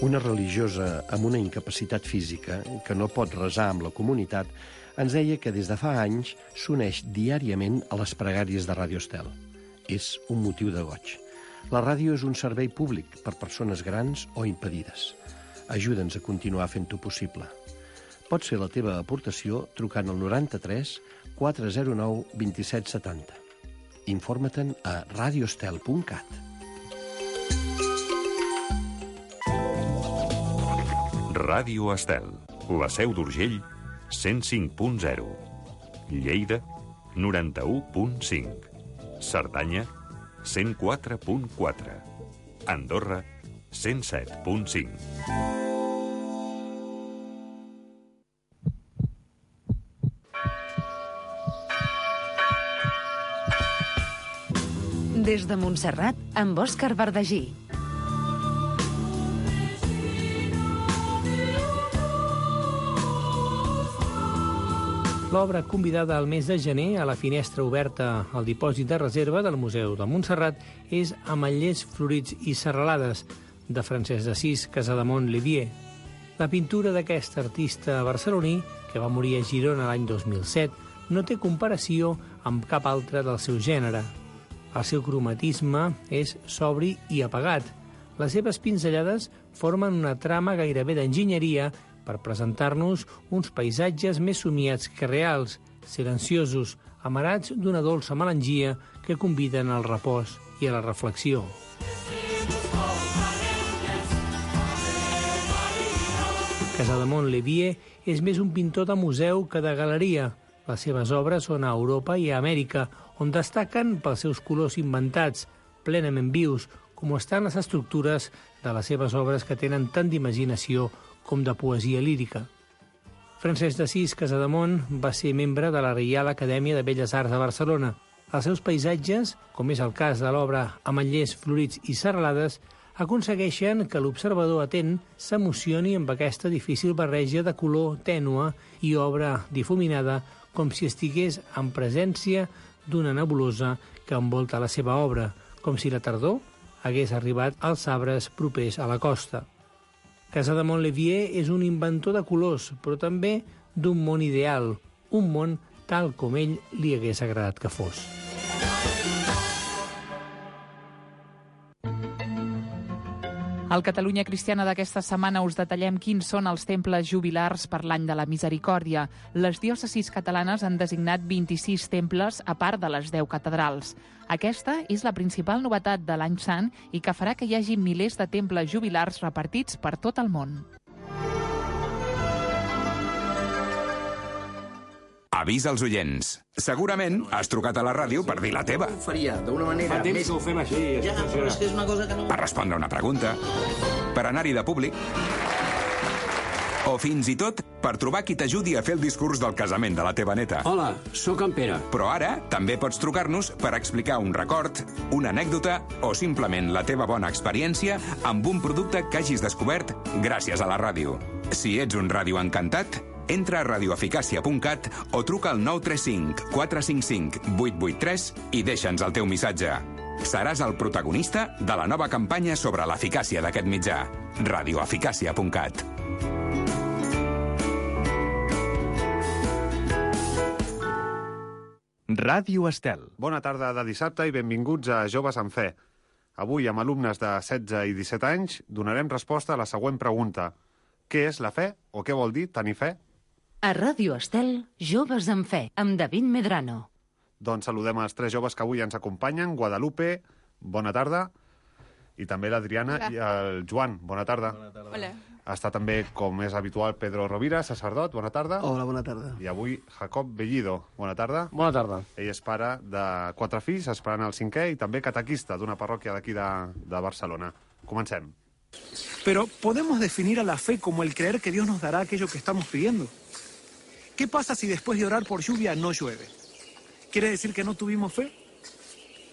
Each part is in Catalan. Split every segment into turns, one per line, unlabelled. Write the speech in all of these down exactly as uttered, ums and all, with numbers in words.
Una religiosa amb una incapacitat física, que no pot resar amb la comunitat, ens deia que des de fa anys s'uneix diàriament a les pregàries de Ràdio Estel. És un motiu de goig. La ràdio és un servei públic per persones grans o impedides. Ajuda'ns a continuar fent-ho possible. Pots fer la teva aportació trucant al noranta-tres quatre zero nou dos set set zero. Informa-te'n a radioestel punt cat.
Ràdio Estel, la Seu d'Urgell, cent cinc punt zero. Lleida, noranta-u punt cinc. Cerdanya, cent quatre punt quatre. Andorra, cent set punt cinc.
Des de Montserrat, amb Òscar Verdagí.
L'obra convidada al mes de gener a la finestra oberta al dipòsit de reserva del Museu de Montserrat és Ametllers florits i serralades, de Francesc d'Assís Casademont Livier. La pintura d'aquest artista barceloní, que va morir a Girona l'any dos mil set, no té comparació amb cap altre del seu gènere. El seu cromatisme és sobri i apagat. Les seves pinzellades formen una trama gairebé d'enginyeria per presentar-nos uns paisatges més somiats que reals, silenciosos, amarats d'una dolça melangia que conviden al repòs i a la reflexió. Casademont Livier és més un pintor de museu que de galeria. Les seves obres són a Europa i a Amèrica, on destaquen pels seus colors inventats, plenament vius, com estan les estructures de les seves obres que tenen tant d'imaginació com de poesia lírica. Francesc d'Assís Casademont va ser membre de la Reial Acadèmia de Belles Arts de Barcelona. Els seus paisatges, com és el cas de l'obra Ametllers florits i serralades, aconsegueixen que l'observador atent s'emocioni amb aquesta difícil barreja de color tènue i obra difuminada, com si estigués en presència d'una nebulosa que envolta la seva obra, com si la tardor hagués arribat als arbres propers a la costa. Casademont Livier és un inventor de colors, però també d'un món ideal, un món tal com ell li hagués agradat que fos.
Al Catalunya Cristiana d'aquesta setmana us detallem quins són els temples jubilars per l'any de la misericòrdia. Les diòcesis catalanes han designat vint-i-sis temples a part de les deu catedrals. Aquesta és la principal novetat de l'any sant i que farà que hi hagi milers de temples jubilars repartits per tot el món.
Avís als oients. Segurament has trucat a la ràdio per dir la teva.
Ho faria d'una manera
Fa temps
més...
que ho fem així.
Ja, però és que és una cosa que no...
Per respondre una pregunta, per anar-hi de públic, o fins i tot per trobar qui t'ajudi a fer el discurs del casament de la teva neta.
Hola, sóc en Pere.
Però ara també pots trucar-nos per explicar un record, una anècdota o simplement la teva bona experiència amb un producte que hagis descobert gràcies a la ràdio. Si ets un radioencantat, entra a radioeficàcia punt cat o truca al nou tres cinc quatre cinc cinc vuit vuit tres i deixa'ns el teu missatge. Seràs el protagonista de la nova campanya sobre l'eficàcia d'aquest mitjà. radioeficàcia punt cat.
Ràdio Estel.
Bona tarda de dissabte i benvinguts a Joves en Fe. Avui, amb alumnes de setze i disset anys, donarem resposta a la següent pregunta. Què és la fe o què vol dir tenir fe?
A Ràdio Estel, Joves en Fe, amb David Medrano.
Doncs saludem els tres joves que avui ens acompanyen. Guadalupe, bona tarda. I també l'Adriana i el Joan, bona tarda.
Bona tarda. Hola.
Està també, com és habitual, Pedro Rovira, sacerdot, bona tarda.
Hola, bona tarda.
I avui Jacob Bellido, bona tarda.
Bona tarda.
Ell és pare de quatre fills, esperant el cinquè, i també catequista d'una parròquia d'aquí de, de Barcelona. Comencem.
Pero podemos definir a la fe como el creer que Dios nos dará aquello que estamos pidiendo. ¿Qué pasa si después de orar por lluvia no llueve? ¿Quiere decir que no tuvimos fe?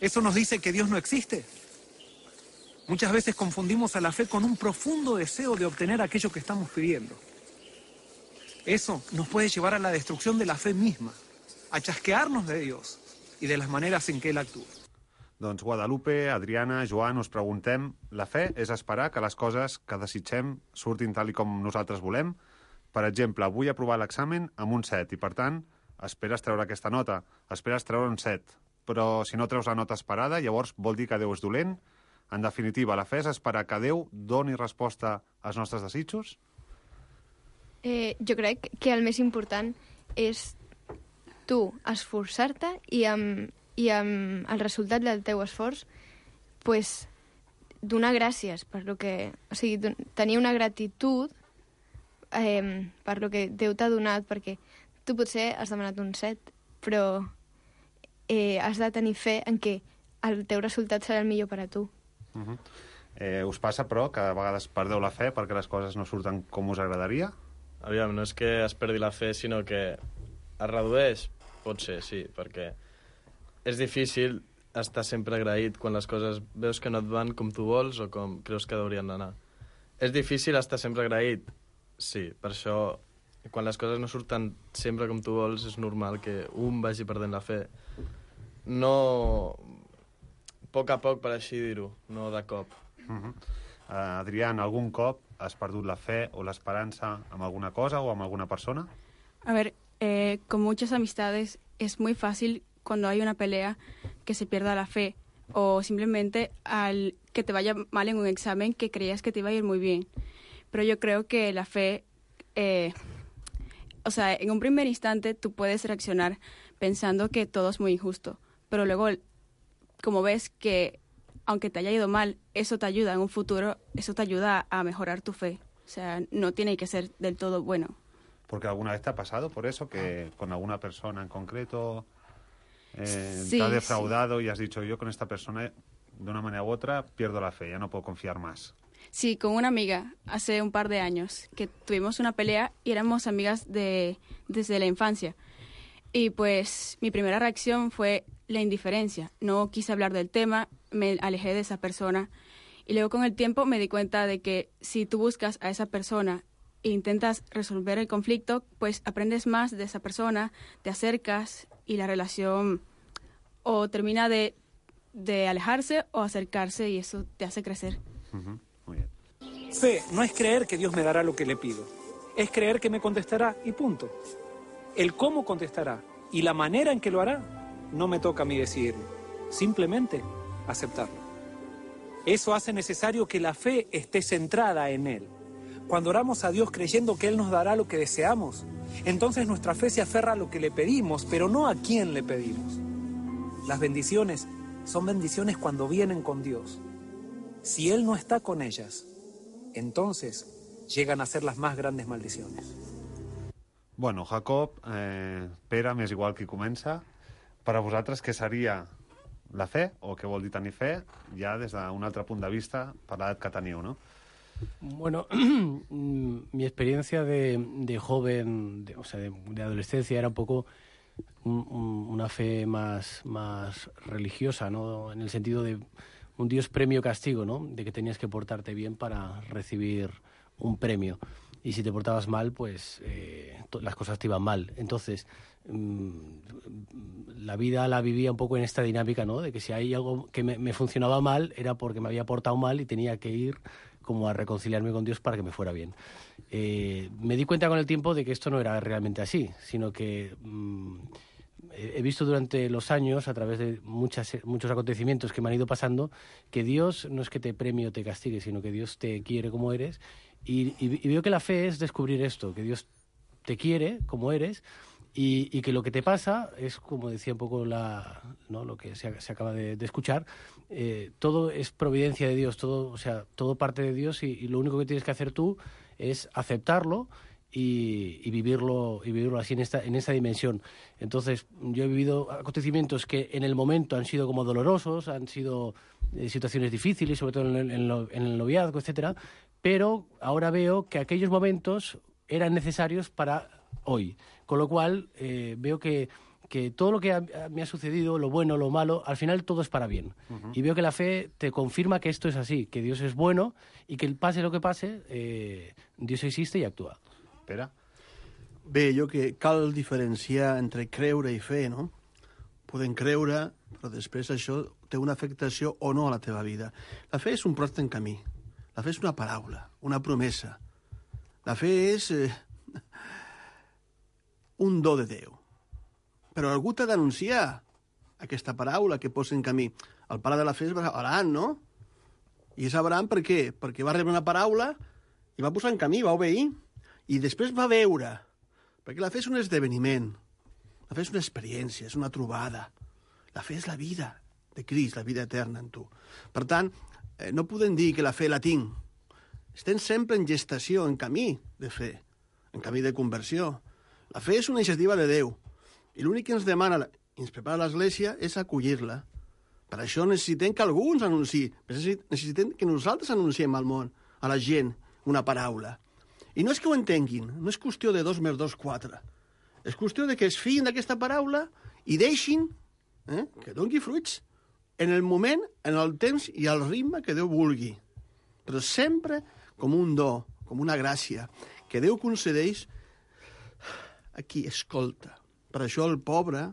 ¿Eso nos dice que Dios no existe? Muchas veces confundimos a la fe con un profundo deseo de obtener aquello que estamos pidiendo. Eso nos puede llevar a la destrucción de la fe misma, a chasquearnos de Dios y de las maneras en que Él actúa.
Doncs Guadalupe, Adriana, Joan, us preguntem, la fe és esperar que les coses que desitgem surtin tal i com nosaltres volem? Per exemple, vull aprovar l'examen amb un set i, per tant, esperes treure aquesta nota, esperes treure un set, però si no treus la nota esperada, llavors vol dir que Déu és dolent? En definitiva, la fe és esperar que Déu doni resposta als nostres desitjos?
Eh, jo crec que el més important és tu esforçar-te i amb, i amb el resultat del teu esforç pues, donar gràcies per lo que... O sigui, tenir una gratitud eh, per lo que Déu t'ha donat, perquè tu potser has demanat un set, però eh, has de tenir fe en que el teu resultat serà el millor per a tu.
Uh -huh. eh, us passa, però, que a vegades perdeu la fe perquè les coses no surten com us agradaria?
Aviam, no és que es perdi la fe, sinó que es redueix, pot ser, sí, perquè és difícil estar sempre agraït quan les coses veus que no et van com tu vols o com creus que haurien d'anar. És difícil estar sempre agraït, sí, per això quan les coses no surten sempre com tu vols és normal que un vagi perdent la fe. No... A poc a poc, per així dir-ho, no de cop.
Uh-huh. uh, Adrián, algun cop has perdut la fe o l'esperança amb alguna cosa o amb alguna persona?
A ver, eh, con muchas amistades es muy fácil cuando hay una pelea que se pierda la fe o simplemente al que te vaya mal en un examen que creías que te iba a ir muy bien. Pero yo creo que la fe, eh, o sea, en un primer instante tú puedes reaccionar pensando que todo es muy injusto, pero luego como ves que aunque te haya ido mal, eso te ayuda en un futuro, eso te ayuda a mejorar tu fe. O sea, no tiene que ser del todo bueno.
Porque alguna vez te ha pasado por eso, que con alguna persona en concreto eh,
sí,
te ha defraudado sí. Y has dicho, yo con esta persona, de una manera u otra, pierdo la fe, ya no puedo confiar más.
Sí, con una amiga, hace un par de años, que tuvimos una pelea y éramos amigas de, desde la infancia. Y pues mi primera reacción fue la indiferencia. No quise hablar del tema, me alejé de esa persona. Y luego con el tiempo me di cuenta de que si tú buscas a esa persona e intentas resolver el conflicto, pues aprendes más de esa persona, te acercas y la relación o termina de, de alejarse o acercarse y eso te hace crecer.
Uh-huh. Muy bien.
Fe no es creer que Dios me dará lo que le pido, es creer que me contestará y punto. El cómo contestará y la manera en que lo hará no me toca a mí decidirlo, simplemente aceptarlo. Eso hace necesario que la fe esté centrada en Él. Cuando oramos a Dios creyendo que Él nos dará lo que deseamos, entonces nuestra fe se aferra a lo que le pedimos, pero no a quién le pedimos. Las bendiciones son bendiciones cuando vienen con Dios. Si Él no está con ellas, entonces llegan a ser las más grandes maldiciones.
Bueno, Jacob, eh, Pere, m'és igual qui comença. Per a vosaltres, què seria la fe, o què vol dir tenir fe, ja des d'un altre punt de vista, per l'edat que teniu, no?
Bueno, mi experiencia de, de joven, de, o sea, de, de adolescencia, era un poco un, un, una fe más, más religiosa, ¿no? En el sentido de un Dios premio-castigo, ¿no? De que tenías que portarte bien para recibir un premio. Y si te portabas mal, pues eh, las cosas te iban mal. Entonces, mmm, la vida la vivía un poco en esta dinámica, ¿no? De que si hay algo que me, me funcionaba mal, era porque me había portado mal y tenía que ir como a reconciliarme con Dios para que me fuera bien. Eh, me di cuenta con el tiempo de que esto no era realmente así, sino que mmm, he visto durante los años, a través de muchas, muchos acontecimientos que me han ido pasando, que Dios no es que te premie o te castigue, sino que Dios te quiere como eres. Y, y, y veo que la fe es descubrir esto, que Dios te quiere como eres y, y que lo que te pasa es, como decía un poco la, ¿no? lo que se, se acaba de, de escuchar, eh, todo es providencia de Dios, todo, o sea, todo parte de Dios y, y lo único que tienes que hacer tú es aceptarlo y, y vivirlo y vivirlo así en esta en esa dimensión. Entonces, yo he vivido acontecimientos que en el momento han sido como dolorosos, han sido eh, situaciones difíciles, sobre todo en el, en, lo, en el noviazgo, etcétera, pero ahora veo que aquellos momentos eran necesarios para hoy. Con lo cual, eh, veo que, que todo lo que ha, me ha sucedido, lo bueno, lo malo, al final todo es para bien. Uh-huh. Y veo que la fe te confirma que esto es así, que Dios es bueno y que pase lo que pase, eh, Dios existe y actúa.
Espera.
Bé, jo que cal diferenciar entre creure i fe, no? Podem creure però després això té una afectació o no a la teva vida. La fe és un pròsper en camí. La fe és una paraula, una promesa. La fe és eh, un do de Déu. Però algú t'ha d'anunciar aquesta paraula que posa en camí. El pare de la fe és Abraham, no? I és Abraham per què? Perquè va rebre una paraula i va posar en camí, va obeir, i després va veure. Perquè la fe és un esdeveniment. La fe és una experiència, és una trobada. La fe és la vida de Crist, la vida eterna en tu. Per tant, eh, no podem dir que la fe la tinc. Estem sempre en gestació, en camí de fe, en camí de conversió. La fe és una iniciativa de Déu. I l'únic que ens demana i ens prepara l'Església és acollir-la. Per això necessitem que algú ens anunciï. Necessitem que nosaltres anunciem al món, a la gent, una paraula. I no és que ho entenguin, no és qüestió de dos més dos, quatre. És qüestió de que es fiïn d'aquesta paraula i deixin eh, que doni fruits en el moment, en el temps i al ritme que Déu vulgui. Però sempre com un do, com una gràcia, que Déu concedeix a qui escolta. Per això el pobre,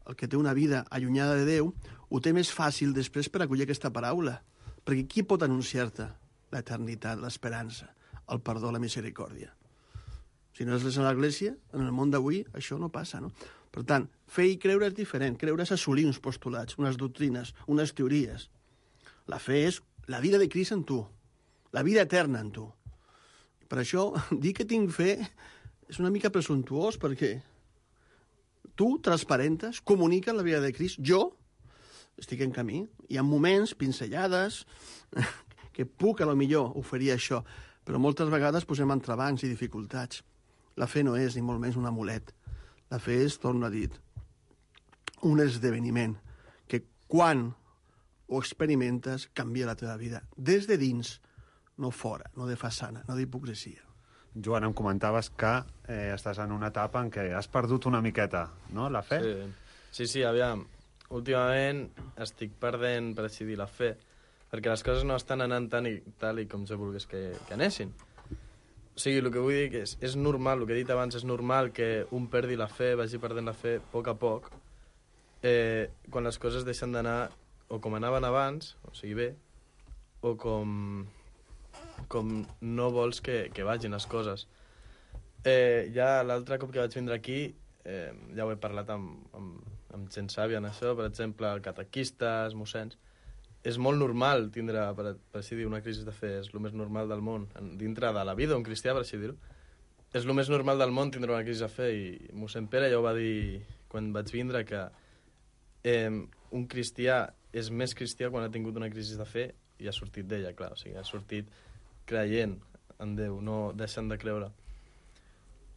el que té una vida allunyada de Déu, ho té més fàcil després per acollir aquesta paraula. Perquè qui pot anunciar-te l'eternitat, l'esperança, el perdó, la misericòrdia? Si no és l'Església, en el món d'avui això no passa, no? Per tant, fer i creure és diferent. Creure és assolir uns postulats, unes doctrines, unes teories. La fe és la vida de Crist en tu, la vida eterna en tu. Per això, dir que tinc fe és una mica presumptuós, perquè tu transparentes, comuniques la vida de Crist. Jo estic en camí. Hi ha moments, pinzellades, que puc, a lo millor, oferir això, però moltes vegades posem entrebancs i dificultats. La fe no és, ni molt menys, un amulet. La fe és, torno a dir, un esdeveniment que quan ho experimentes canvia la teva vida. Des de dins, no fora, no de façana, no d'hipocresia.
Joan, em comentaves que eh, estàs en una etapa en què has perdut una miqueta, no?, la fe?
Sí, sí, sí, aviam. Últimament estic perdent, per així dir, la fe, perquè les coses no estan anant tan i, tal i com jo volgués que, que anessin. O sigui, el que vull dir que és, és normal, el que he dit abans, és normal que un perdi la fe, vagi perdent la fe a poc a poc, eh, quan les coses deixen d'anar o com anaven abans, o sigui bé, o com, com no vols que, que vagin les coses. Eh, ja l'altre cop que vaig vindre aquí, eh, ja ho he parlat amb, amb, amb gent sàvia en això, per exemple, catequistes, mossens. És molt normal tindre, per, per així dir, una crisi de fe, és el més normal del món, dintre de la vida d'un cristià, per així dir-ho. És el més normal del món tindre una crisi de fe, i mossèn Pere ja ho va dir quan vaig vindre, que eh, un cristià és més cristià quan ha tingut una crisi de fe i ha sortit d'ella, clar, o sigui, ha sortit creient en Déu, no deixant de creure.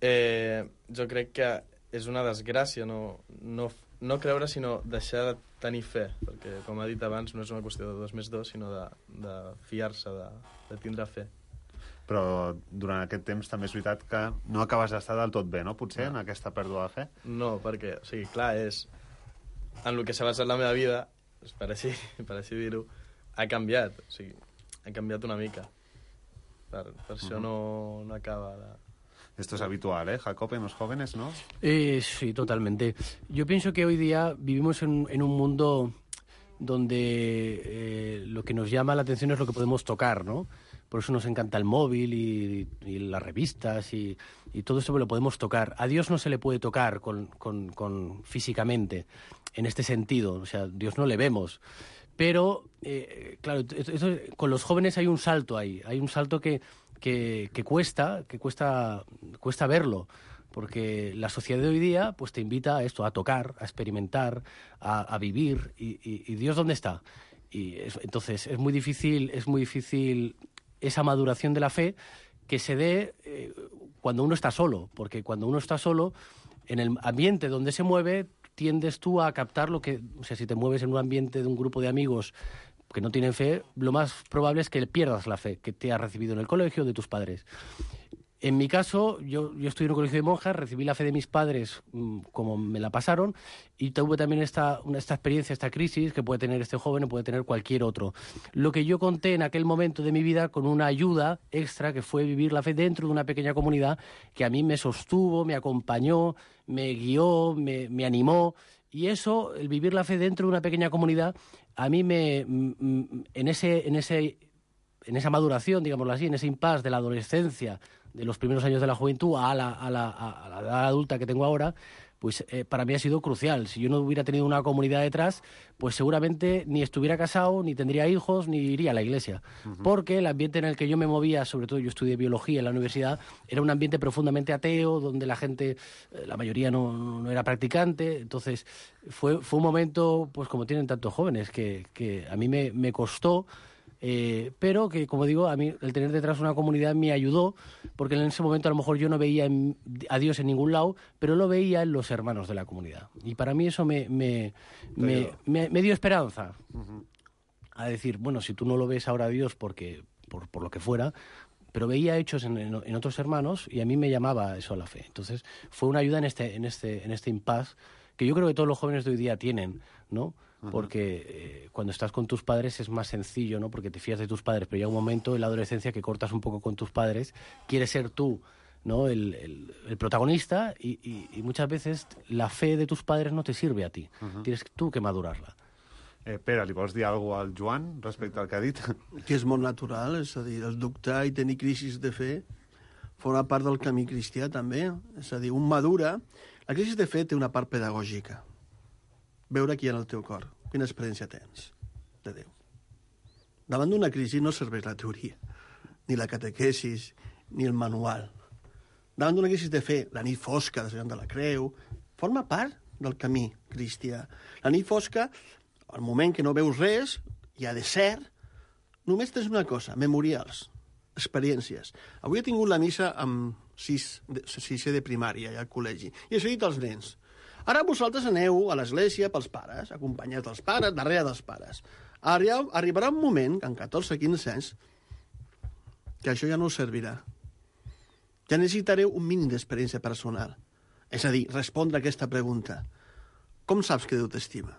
Eh, jo crec que és una desgràcia no, no, no creure, sinó deixar de tenir fe, perquè, com ha dit abans, no és una qüestió de dos més dos, sinó de, de fiar-se, de, de tindre fe.
Però durant aquest temps també és veritat que no acabes d'estar del tot bé, no?, potser, no. En aquesta pèrdua de fe?
No, perquè, o sigui, clar, és... En el que s'ha basat la meva vida, per així, per així dir-ho, ha canviat, o sigui, ha canviat una mica. Per, per això uh-huh. no, no acaba de...
Esto es habitual, ¿eh, Jacob, en los jóvenes, ¿no?
Eh, sí, totalmente. Yo pienso que hoy día vivimos en, en un mundo donde eh, lo que nos llama la atención es lo que podemos tocar, ¿no? Por eso nos encanta el móvil y, y las revistas y, y todo esto lo podemos tocar. A Dios no se le puede tocar con, con, con físicamente, en este sentido. O sea, Dios no le vemos. Pero, eh, claro, esto, esto, con los jóvenes hay un salto ahí. Hay un salto que... Que, que cuesta, que cuesta, cuesta verlo, porque la sociedad de hoy día pues te invita a esto, a tocar, a experimentar, a, a vivir, y, y, y Dios ¿dónde está? Y es, entonces es muy difícil, es muy difícil esa maduración de la fe que se dé eh, cuando uno está solo, porque cuando uno está solo, en el ambiente donde se mueve, tiendes tú a captar lo que, o sea, si te mueves en un ambiente de un grupo de amigos que no tienen fe, lo más probable es que pierdas la fe que te has recibido en el colegio de tus padres. En mi caso, yo, yo estudié en un colegio de monjas, recibí la fe de mis padres mmm, como me la pasaron, y tuve también esta, una, esta experiencia, esta crisis que puede tener este joven o puede tener cualquier otro. Lo que yo conté en aquel momento de mi vida con una ayuda extra que fue vivir la fe dentro de una pequeña comunidad que a mí me sostuvo, me acompañó, me guió, me, me animó. Y eso, el vivir la fe dentro de una pequeña comunidad, a mí me... En, ese, en, ese, en esa maduración, digámoslo así, en ese impasse de la adolescencia, de los primeros años de la juventud a la, a la, a la edad adulta que tengo ahora, pues eh, para mí ha sido crucial. Si yo no hubiera tenido una comunidad detrás, pues seguramente ni estuviera casado, ni tendría hijos, ni iría a la iglesia. Uh-huh. Porque el ambiente en el que yo me movía, sobre todo yo estudié biología en la universidad, era un ambiente profundamente ateo, donde la gente, eh, la mayoría no, no era practicante. Entonces fue, fue un momento, pues como tienen tantos jóvenes, que, que a mí me, me costó. Eh, pero que, como digo, a mí el tener detrás una comunidad me ayudó, porque en ese momento a lo mejor yo no veía en, a Dios en ningún lado, pero lo veía en los hermanos de la comunidad. Y para mí eso me, me, me, me, me dio esperanza. Uh-huh. A decir, bueno, si tú no lo ves ahora a Dios porque, por, por lo que fuera, pero veía hechos en, en, en otros hermanos y a mí me llamaba eso a la fe. Entonces fue una ayuda en este, en este, en este impasse que yo creo que todos los jóvenes de hoy día tienen, ¿no? Porque eh, cuando estás con tus padres es más sencillo, ¿no? Porque te fías de tus padres, pero llega un momento en la adolescencia que cortas un poco con tus padres, quieres ser tú, ¿no? el, el, el protagonista y, y, y muchas veces la fe de tus padres no te sirve a ti. Uh-huh. Tienes tú que madurarla.
Eh, Pere, li vols dir alguna cosa al Joan respecte al que ha dit?
Que és molt natural, és a dir, el dubtar i tenir crisis de fe forma part del camí cristià també. És a dir, un madura... La crisi de fe té una part pedagògica. Veure qui hi ha en el teu cor, quina experiència tens de Déu. Davant d'una crisi no serveix la teoria, ni la catequesis, ni el manual. Davant d'una crisi de fe, la nit fosca de Sant de la Creu, forma part del camí cristià. La nit fosca, al moment que no veus res, hi ha desert, només tens una cosa, memorials, experiències. Avui he tingut la missa amb sis, sisè de primària, ja al col·legi, i he dit als nens, ara vosaltres aneu a l'església pels pares, acompanyats dels pares, darrere dels pares. Arribarà un moment, amb catorze quinze anys, que això ja no us servirà. Ja necessitareu un mínim d'experiència personal. És a dir, respondre a aquesta pregunta. Com saps que Déu t'estima?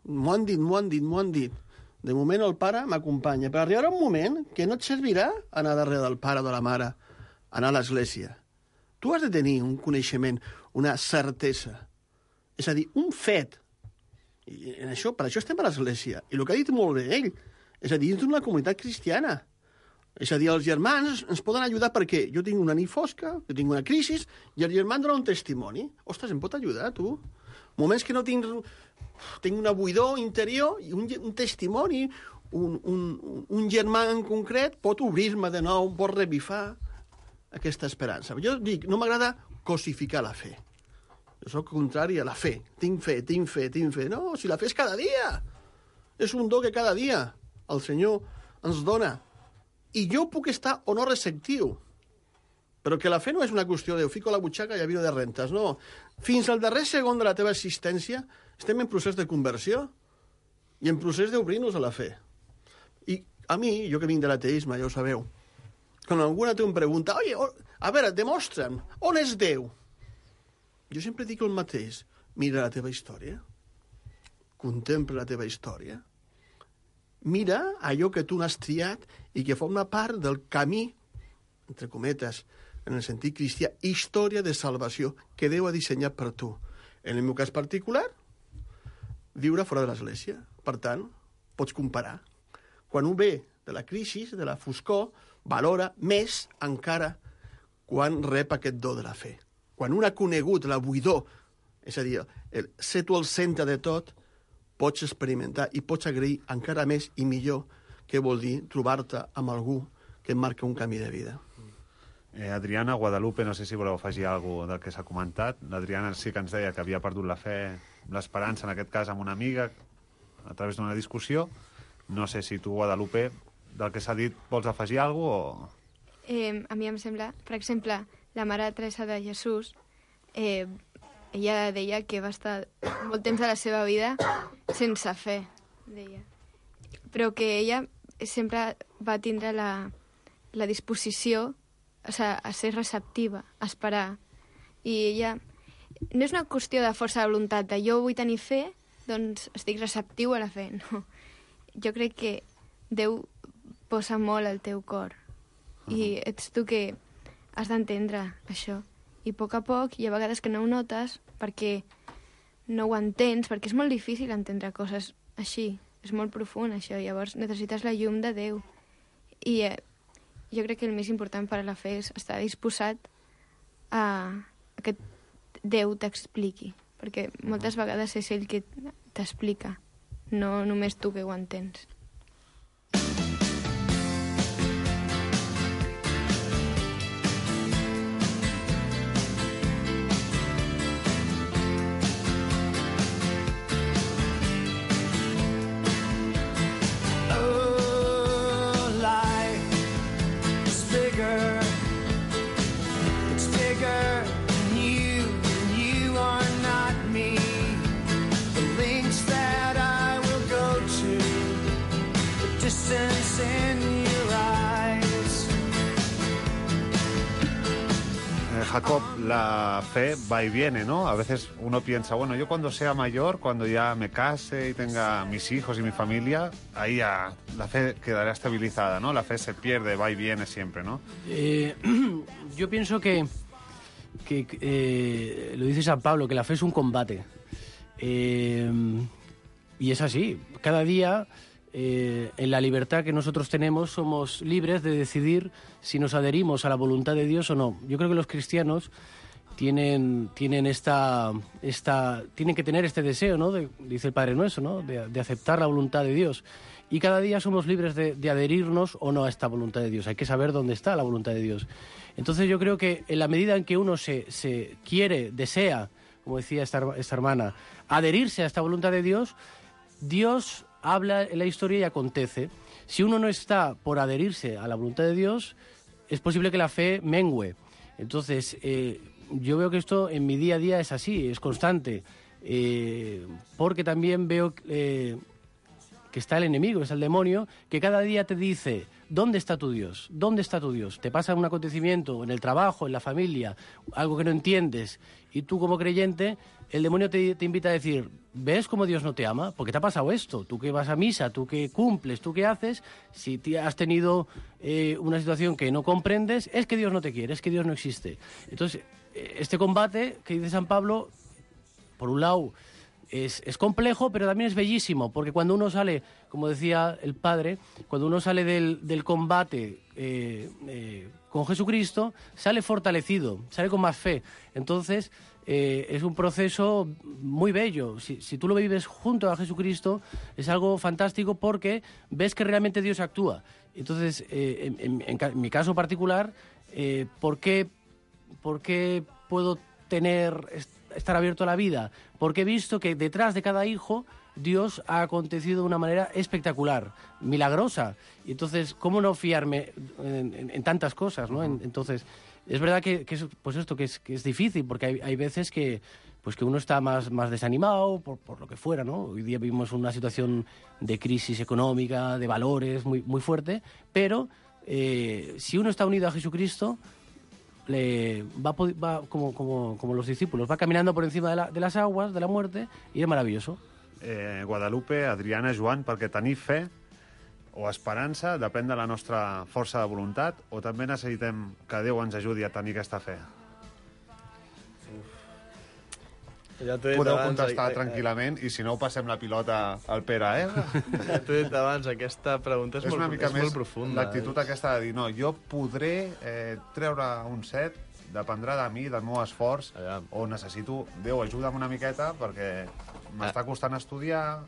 M'ho han dit, m'ho han dit, m'ho han dit. De moment el pare m'acompanya, però arribarà un moment que no et servirà anar darrere del pare o de la mare, anar a l'església. Tu has de tenir un coneixement, una certesa. És a dir, un fet. I en això, per això estem a l'església. I el que ha dit molt bé ell, és a dir, dins d'una comunitat cristiana. És a dir, els germans ens poden ajudar perquè jo tinc una nit fosca, jo tinc una crisi, i el germà em dona un testimoni. Ostres, em pot ajudar, tu? Moments que no tinc... Tinc una buidor interior i un, un testimoni, un, un, un germà en concret pot obrir-me de nou, pot revifar aquesta esperança. Jo dic, no m'agrada cosificar la fe. Jo soc contrari a la fe. Tinc fe, tinc fe, tinc fe. No, si la fe és cada dia. És un do que cada dia el Senyor ens dona. I jo puc estar o no receptiu. Però que la fe no és una qüestió de fico a la butxaca i a vino de rentes, no. Fins al darrer segon de la teva existència estem en procés de conversió i en procés d'obrir-nos a la fe. I a mi, jo que vinc de l'ateisme, ja ho sabeu, quan alguna té em pregunta, oye, a veure, demostra'm, on és Déu? Jo sempre dic el mateix, mira la teva història, contempla la teva història, mira allò que tu n'has triat i que forma part del camí, entre cometes, en el sentit cristià, història de salvació que Déu ha dissenyat per tu. En el meu cas particular, viure fora de l'església. Per tant, pots comparar. Quan un ve de la crisi, de la foscor, valora més encara quan rep aquest do de la fe. Quan un ha conegut la buidor, és a dir, el ser tu al centre de tot, pots experimentar i pots agrair encara més i millor què vol dir trobar-te amb algú que et marca un camí de vida.
Eh, Adriana, Guadalupe, no sé si voleu afegir alguna cosa del que s'ha comentat. L'Adriana sí que ens deia que havia perdut la fe, l'esperança, en aquest cas, amb una amiga, a través d'una discussió. No sé si tu, Guadalupe, del que s'ha dit, vols afegir alguna cosa? O...
Eh, a mi em sembla, per exemple, la Mare Teresa de Jesús, eh, ella deia que va estar molt temps de la seva vida sense fe, deia. Però que ella sempre va tindre la, la disposició, o sigui, a ser receptiva, a esperar. I ella... No és una qüestió de força de voluntat, de jo vull tenir fe, doncs estic receptiu a la fe. No. Jo crec que Déu posa molt al teu cor. Uh-huh. I ets tu que has d'entendre això. I a poc a poc hi ha vegades que no ho notes perquè no ho entens, perquè és molt difícil entendre coses així. És molt profund, això. Llavors necessites la llum de Déu. I eh, jo crec que el més important per a la fe és estar disposat a, a que Déu t'expliqui. Perquè moltes vegades és ell que t'explica, no només tu que ho entens.
Jacob, la fe va y viene, ¿no? A veces uno piensa, bueno, yo cuando sea mayor, cuando ya me case y tenga mis hijos y mi familia, ahí ya la fe quedará estabilizada, ¿no? La fe se pierde, va y viene siempre, ¿no?
Eh, yo pienso que, que eh, lo dice San Pablo, que la fe es un combate. Eh, y es así. Cada día, eh, en la libertad que nosotros tenemos, somos libres de decidir si nos adherimos a la voluntad de Dios o no. Yo creo que los cristianos tienen, tienen, esta, esta, tienen que tener este deseo, ¿no? De, dice el Padre Nuestro, ¿no? De, de aceptar la voluntad de Dios. Y cada día somos libres de, de adherirnos o no a esta voluntad de Dios. Hay que saber dónde está la voluntad de Dios. Entonces yo creo que en la medida en que uno se, se quiere, desea, como decía esta, esta hermana, adherirse a esta voluntad de Dios, Dios habla en la historia y acontece. Si uno no está por adherirse a la voluntad de Dios, es posible que la fe mengüe. Entonces, eh, yo veo que esto en mi día a día es así, es constante, eh, porque también veo eh, que está el enemigo, es el demonio, que cada día te dice, ¿dónde está tu Dios? ¿Dónde está tu Dios? Te pasa un acontecimiento en el trabajo, en la familia, algo que no entiendes, y tú como creyente, el demonio te, te invita a decir, ¿ves cómo Dios no te ama? Porque te ha pasado esto, tú que vas a misa, tú que cumples, tú que haces, si te has tenido eh, una situación que no comprendes, es que Dios no te quiere, es que Dios no existe. Entonces, este combate que dice San Pablo, por un lado, es, es complejo, pero también es bellísimo, porque cuando uno sale, como decía el Padre, cuando uno sale del, del combate eh, eh, con Jesucristo, sale fortalecido, sale con más fe. Entonces, eh, es un proceso muy bello. Si, si tú lo vives junto a Jesucristo, es algo fantástico porque ves que realmente Dios actúa. Entonces, eh, en, en, en mi caso particular, eh, ¿por qué, por qué puedo tener, estar abierto a la vida? Porque he visto que detrás de cada hijo Dios ha acontecido de una manera espectacular, milagrosa. Y entonces, ¿cómo no fiarme en, en, en tantas cosas, ¿no? En, entonces, es verdad que, que, es, pues esto, que, es, que es difícil, porque hay, hay veces que, pues que uno está más, más desanimado, por, por lo que fuera, ¿no? Hoy día vivimos una situación de crisis económica, de valores muy, muy fuerte, pero eh, si uno está unido a Jesucristo, le va, va como, como, como los discípulos, va caminando por encima de, la, de las aguas, de la muerte, y es maravilloso.
Eh, Guadalupe, Adriana, Joan, perquè tenir fe o esperança depèn de la nostra força de voluntat o també necessitem que Déu ens ajudi a tenir aquesta fe?
Ja t'ho he dit
Podeu
abans,
contestar
eh,
tranquil·lament i si no passem la pilota al Pere, eh?
Ja t'ho he dit abans, aquesta pregunta és,
és una
molt,
mica
és
més
molt profunda.
l'actitud
eh?
aquesta de dir, no, jo podré eh, treure un set, dependrà de mi, del meu esforç, Allà. o necessito, Déu, ajuda'm una miqueta perquè m'està costant estudiar.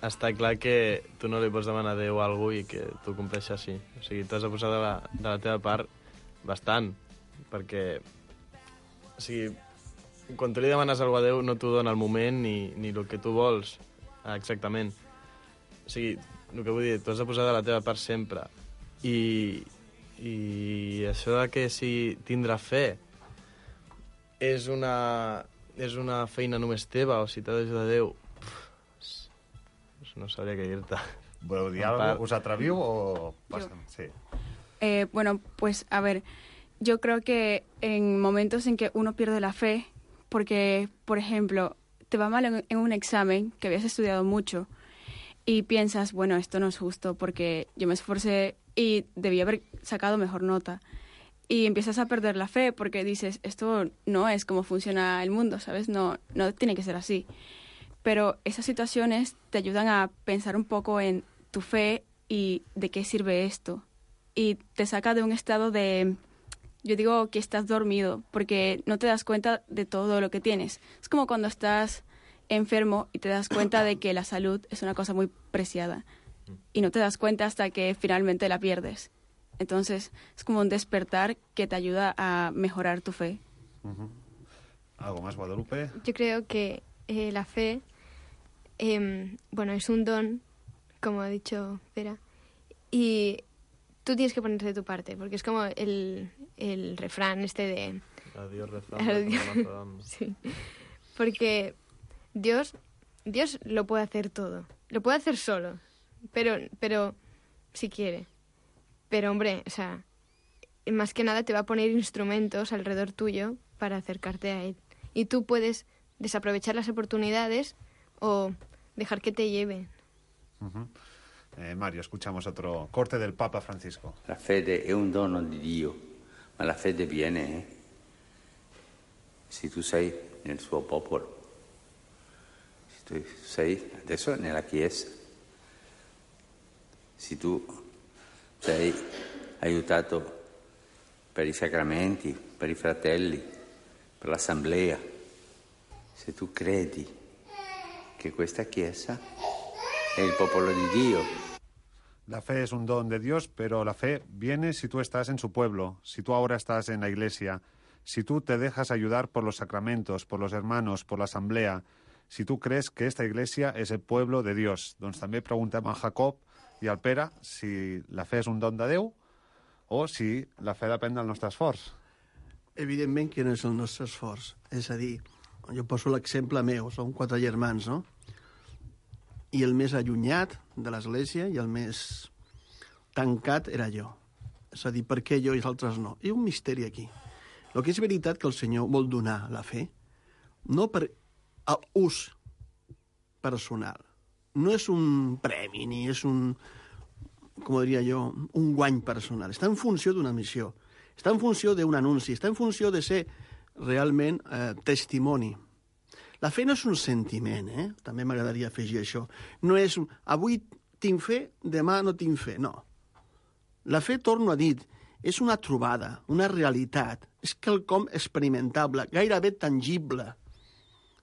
Està clar que tu no li pots demanar a Déu algú i que tu compleixi així. O sigui, t'has de posar de la, de la teva part bastant, perquè o sigui, quan tu li demanes alguna a Déu no t'ho dona el moment ni, ni el que tu vols exactament. O sigui, el que vull dir, tu has de posar de la teva part sempre. I, i això de que si tindrà fe és una, és una feina només teva o si t'ha d'ajudar Déu, pff, no sabria què dir-te.
Voleu dir alguna cosa? ¿Us atreviu o pasen? Sí.
Eh, bueno, pues a ver, yo creo que en momentos en que uno pierde la fe, porque, por ejemplo, te va mal en, en un examen que habías estudiado mucho y piensas, bueno, esto no es justo porque yo me esforcé y debía haber sacado mejor nota. y empiezas a perder la fe porque dices, esto no es como funciona el mundo, ¿sabes? No, no tiene que ser así. Pero esas situaciones te ayudan a pensar un poco en tu fe y de qué sirve esto. Y te saca de un estado de, yo digo que estás dormido, porque no te das cuenta de todo lo que tienes. Es como cuando estás enfermo y te das cuenta de que la salud es una cosa muy preciada. Y no te das cuenta hasta que finalmente la pierdes. Entonces, es como un despertar que te ayuda a mejorar tu fe.
Uh-huh. ¿Algo más, Guadalupe?
Yo creo que eh, la fe, eh, bueno, es un don, como ha dicho Pera, y tú tienes que ponerte de tu parte, porque es como el, el refrán este de...
Adiós, refrán.
Adiós. Sí. Porque Dios, Dios lo puede hacer todo, lo puede hacer solo, pero, pero si quiere. Pero, hombre, o sea, más que nada te va a poner instrumentos alrededor tuyo para acercarte a Él. Y tú puedes desaprovechar las oportunidades o dejar que te lleven.
Uh-huh. eh, Mario, escuchamos otro corte del Papa Francisco.
La fede è un dono di Dio, ma la fede viene eh? se tu sei nel suo popolo, se tu sei adesso nella Chiesa, se tu sei aiutato per i sacramenti, per i fratelli, per l'assemblea, se tu credi che questa Chiesa è il popolo di Dio.
La fe es un don de Dios, pero la fe viene si tú estás en su pueblo, si tú ahora estás en la iglesia, si tú te dejas ayudar por los sacramentos, por los hermanos, por la asamblea, si tú crees que esta iglesia és el pueblo de Dios. Doncs també preguntem a Jacob i al Pere si la fe és un don de Déu o si la fe depèn del nostre esforç.
Evidentment que no és el nostre esforç. És a dir, jo poso l'exemple meu, som quatre germans, no? I el més allunyat de l'església i el més tancat era jo. És a dir, per què jo i els altres no? Hi ha un misteri aquí. El que és veritat que el Senyor vol donar la fe, no per ús personal. No és un premi, ni és un, com diria jo, un guany personal. Està en funció d'una missió. Està en funció d'un anunci. Està en funció de ser realment eh, testimoni. La fe no és un sentiment, eh? També m'agradaria afegir això. No és, avui tinc fe, demà no tinc fe. No. La fe, torno a dir, és una trobada, una realitat. És quelcom experimentable, gairebé tangible.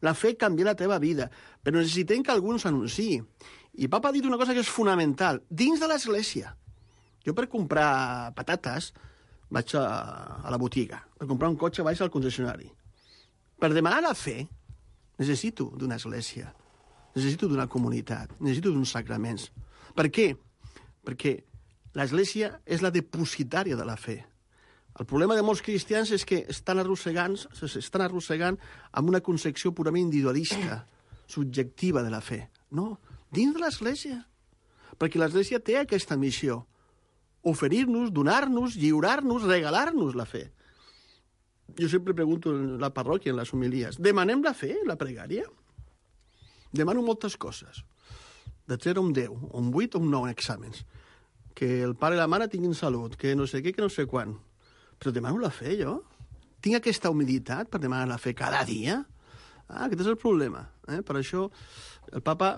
La fe canvia la teva vida, però necessitem que algú ens anunciï. I Papa ha dit una cosa que és fonamental, dins de l'església. Jo per comprar patates vaig a, a la botiga, per comprar un cotxe vaig al concessionari. Per demanar la fe necessito d'una església, necessito d'una comunitat, necessito d'uns sacraments. Per què? Perquè l'església és la depositària de la fe. El problema de molts cristians és que estan arrossegant, s'estan arrossegant amb una concepció purament individualista, subjectiva de la fe. No, dins de l'església. Perquè l'església té aquesta missió. Oferir-nos, donar-nos, lliurar-nos, regalar-nos la fe. Jo sempre pregunto en la parròquia, en les homilies, demanem la fe, la pregària? Demano moltes coses. De zero a un deu, un vuit o un nou en exàmens. Que el pare i la mare tinguin salut, que no sé què, que no sé quan. Però demano la fe, jo? Tinc aquesta humilitat per demanar la fe cada dia? Ah, aquest és el problema. Eh? Per això el Papa,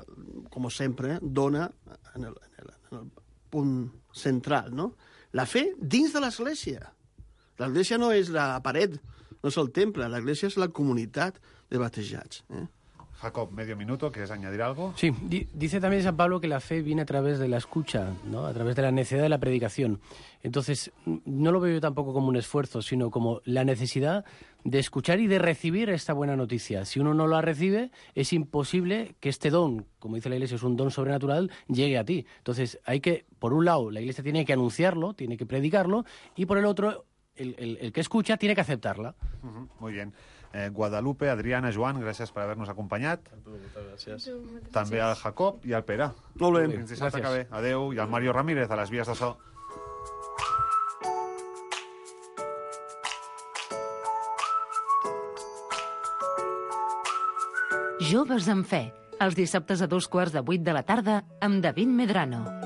com sempre, dona en el, en el, en el punt central, no? La fe dins de l'església. L'església no és la paret, no és el temple, l'església és la comunitat de batejats. Eh?
Jacob, medio minuto, ¿quieres añadir algo?
Sí, di- dice también San Pablo que la fe viene a través de la escucha, ¿no? A través de la necesidad de la predicación. Entonces, no lo veo yo tampoco como un esfuerzo, sino como la necesidad de escuchar y de recibir esta buena noticia. Si uno no la recibe, es imposible que este don, como dice la Iglesia, es un don sobrenatural, llegue a ti. Entonces, hay que, por un lado, la Iglesia tiene que anunciarlo, tiene que predicarlo, y por el otro, el, el, el que escucha tiene que aceptarla.
Uh-huh, muy bien. Eh, Guadalupe, Adriana, Joan, gràcies per haver-nos acompanyat.
A tu, moltes gràcies.
També al Jacob i al Pere.
Molt bé.
Fins dissabte que ve. Adéu. I al Mario Ramírez, a les vies de so.
Joves amb fe, els dissabtes a dos quarts de vuit de la tarda amb David Medrano.